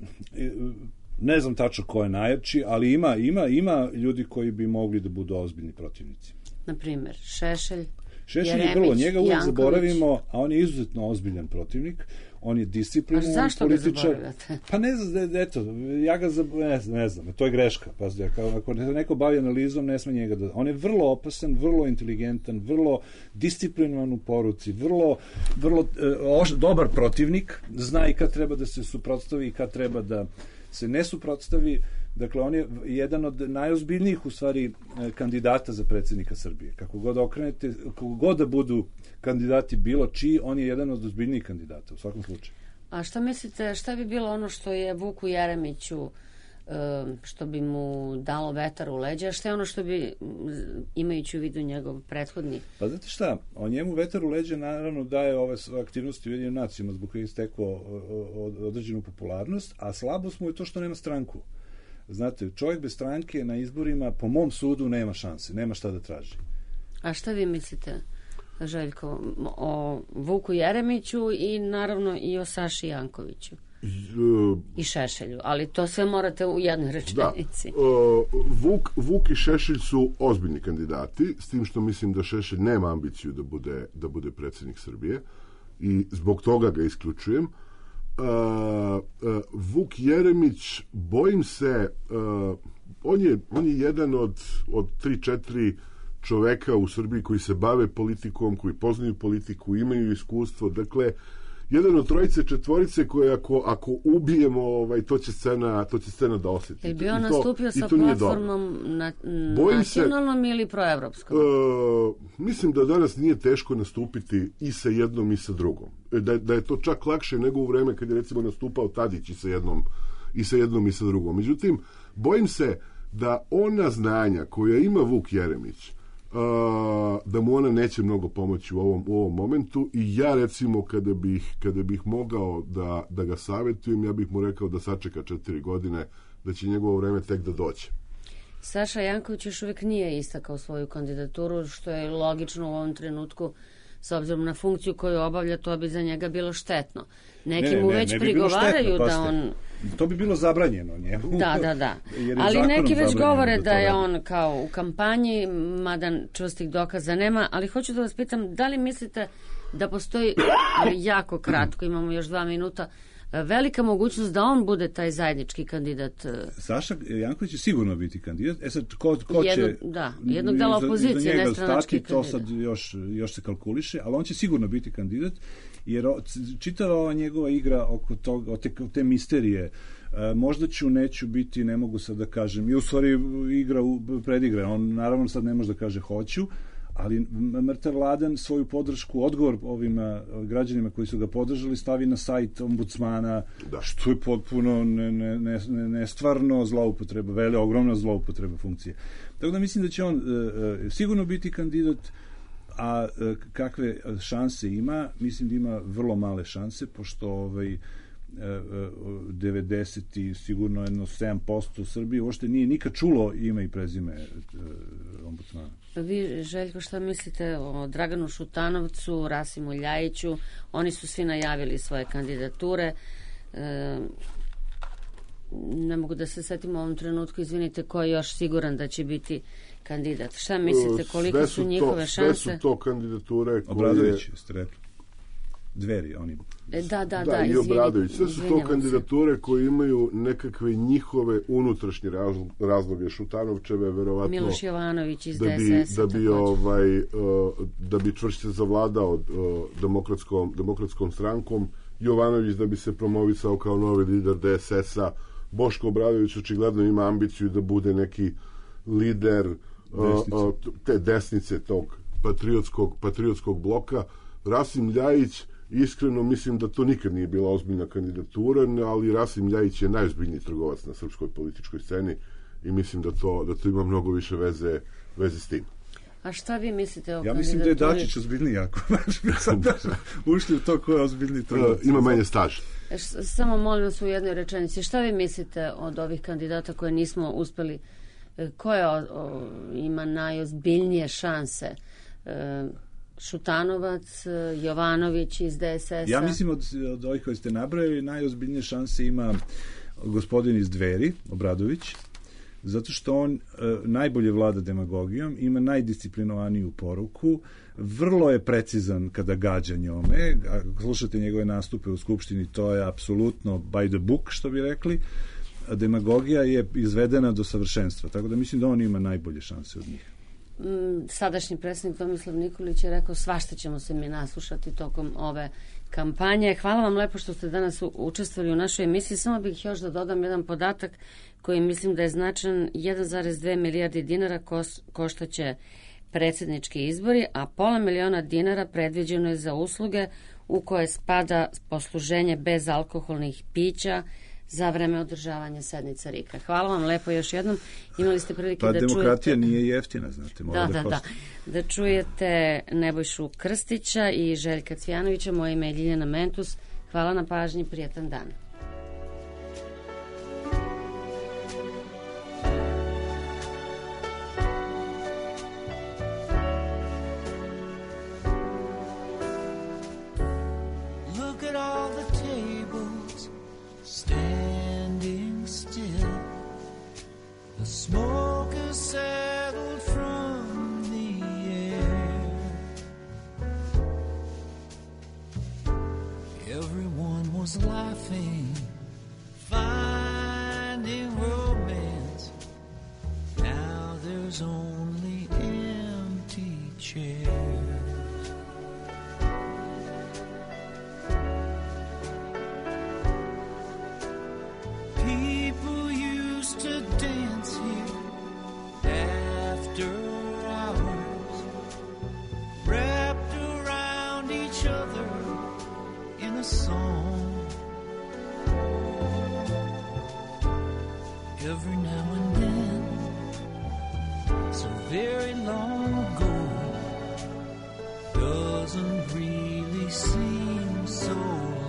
ne znam tačno ko je najjači, ali ima, ima, ima ljudi koji bi mogli da budu ozbiljni protivnici. Na primjer, Šešelj, Šešelj je vrlo, njega uvijek zaboravimo, a on je izuzetno ozbiljan protivnik, on je disciplinovan političar. A zašto ga zaboravljate? Pa ne znam, eto, ja ga zaboravim, ne znam, ne znam, to je greška, pazi, ako neko bavi analizom, ne sme njega da... On je vrlo opasan, vrlo inteligentan, vrlo disciplinovan u poruci, vrlo, vrlo eh, oš, dobar protivnik, zna i kad treba da se suprotstavi i kad treba da se ne suprotstavi. Dakle, on je jedan od najozbiljnijih u stvari kandidata za predsjednika Srbije. Kako god okrenete, kako god da budu kandidati bilo čiji, on je jedan od ozbiljnijih kandidata u svakom slučaju. A šta mislite, šta bi bilo ono što je Vuku Jeremiću, što bi mu dalo vetar u leđa, šta je ono što bi, imajući u vidu njegov prethodni? Pa znate šta, on njemu vetar u leđa naravno daje ove aktivnosti u Ujedinjenim nacijama zbog koje je stekao određenu popularnost, a slabost mu je to što nema stranku. Znate, čovjek bez stranke na izborima, po mom sudu, nema šanse, nema šta da traži. A šta vi mislite, Željko, o Vuku Jeremiću i naravno i o Saši Jankoviću? I Šešelju, ali to sve morate u jednoj rečenici. Da. Uh, Vuk, Vuk i Šešelj su ozbiljni kandidati, s tim što mislim da Šešelj nema ambiciju da bude, da bude predsjednik Srbije i zbog toga ga isključujem. Uh, uh, Vuk Jeremić, bojim se, uh, on, je, on je jedan od, od tri, četiri čoveka u Srbiji koji se bave politikom, koji poznaju politiku, imaju iskustvo, dakle, jedan od trojice, četvorice koje ako, ako ubijemo, ovaj, to će scena, to će scena da osjeti. Je bi on nastupio sa platformom na, nacionalnom se, ili proevropskom? Uh, mislim da danas nije teško nastupiti i sa jednom i sa drugom. Da, da je to čak lakše nego u vreme kad je recimo nastupao Tadić i sa jednom i sa jednom i sa drugom. Međutim, bojim se da ona znanja koja ima Vuk Jeremić a, da mu ona neće mnogo pomoći u ovom, u ovom momentu i ja recimo kada bih, kada bih mogao da, da ga savjetujem, ja bih mu rekao da sačeka četiri godine, da će njegovo vreme tek da dođe. Saša Janković još uvijek nije istakao svoju kandidaturu, što je logično u ovom trenutku, s obzirom na funkciju koju obavlja, to bi za njega bilo štetno. Neki ne, mu ne, već ne bi prigovaraju štetno, da on... To bi bilo zabranjeno njemu. Da, da, da. Ali neki već govore da, da je on kao u kampanji, mada čvrstih dokaza nema, ali hoću da vas pitam, da li mislite da postoji jako kratko, imamo još dva minuta, velika mogućnost da on bude taj zajednički kandidat? Saša Janković će sigurno biti kandidat. E sad, ko, ko Jedno, će... Da, jednog dela opozicije, nestranački kandidat. To sad još, još se kalkuliše, ali on će sigurno biti kandidat, jer čitava ova njegova igra oko toga, te, te misterije, možda ću, neću biti, ne mogu sad da kažem, i u stvari igra predigra, on naravno sad ne može da kaže hoću, ali mrtav Vladan svoju podršku, odgovor ovim građanima koji su ga podržali, stavi na sajt ombudsmana, da. Što je potpuno ne, ne, ne, nestvarno zloupotreba, vele, ogromna zloupotreba funkcije. Tako da mislim da će on e, sigurno biti kandidat, a e, kakve šanse ima, mislim da ima vrlo male šanse, pošto ovaj, devedeset i sigurno jedno sedam posto u Srbiji uopšte nije nikad čulo ime i prezime ombudsmana. Vi, Željko, šta mislite o Draganu Šutanovcu, Rasimu Ljajiću? Oni su svi najavili svoje kandidature. E, ne mogu da se setim u ovom trenutku, izvinite, ko je još siguran da će biti kandidat? Šta mislite, koliko su, su njihove to, šanse? Sve su to kandidature koje... Obradović, ste rekli. Dveri, oni... E, da, da, da, da, i Obradović. Sve su to kandidature koje imaju nekakve njihove unutrašnje razloge. Šutanovčeve, verovatno... Miloš Jovanović iz da bi, D S S-a. Da bi, ovaj, uh, da bi čvršće zavladao uh, demokratskom, demokratskom strankom. Jovanović da bi se promovisao kao novi lider D S S-a. Boško Obradović očigledno ima ambiciju da bude neki lider uh, uh, te desnice tog patriotskog, patriotskog bloka. Rasim Ljajić, iskreno mislim da to nikad nije bila ozbiljna kandidatura, ali Rasim Ljajić je najozbiljniji trgovac na srpskoj političkoj sceni i mislim da to, da to ima mnogo više veze, veze s tim. A šta vi mislite o ja kandidaturi? Mislim da je Dačić ozbiljniji jako. Ušli u to ko je ozbiljniji trgovac. Ima manje staž. Samo molim vas u jednoj rečenici. Šta vi mislite od ovih kandidata koje nismo uspeli? Ko je o, o, ima najozbiljnije šanse? E, Šutanovac, Jovanović iz D S S-a. Ja mislim od, od ovih koji ste nabrali najozbiljnije šanse ima gospodin iz Dveri, Obradović, zato što on e, najbolje vlada demagogijom, ima najdisciplinovaniju poruku, vrlo je precizan kada gađa njome. Ako slušate njegove nastupe u Skupštini, to je apsolutno by the book, što bi rekli. A demagogija je izvedena do savršenstva, tako da mislim da on ima najbolje šanse od njih. Sadašnji predsjednik Tomislav Nikolić je rekao svašta ćemo se mi naslušati tokom ove kampanje. Hvala vam lepo što ste danas učestvovali u našoj emisiji. Samo bih još da dodam jedan podatak koji mislim da je značan. jedan zarez dve milijardi dinara koštaće predsjednički izbori, a pola miliona dinara predviđeno je za usluge u koje spada posluženje bez alkoholnih pića za vreme održavanja sednica R I K-a. Hvala vam lepo još jednom. Imali ste prilike pa, da čujete... Pa demokratija nije jeftina, znate. Da, da, da, da. Da čujete Nebojšu Krstića i Željka Cvijanovića. Moje ime je Ljiljana Mentus. Hvala na pažnji. Prijetan dan. Standing still, the smoke has settled from the air. Everyone was laughing, finding romance. Now there's only empty chairs. To dance here after hours, wrapped around each other in a song. Every now and then, so very long ago, doesn't really seem so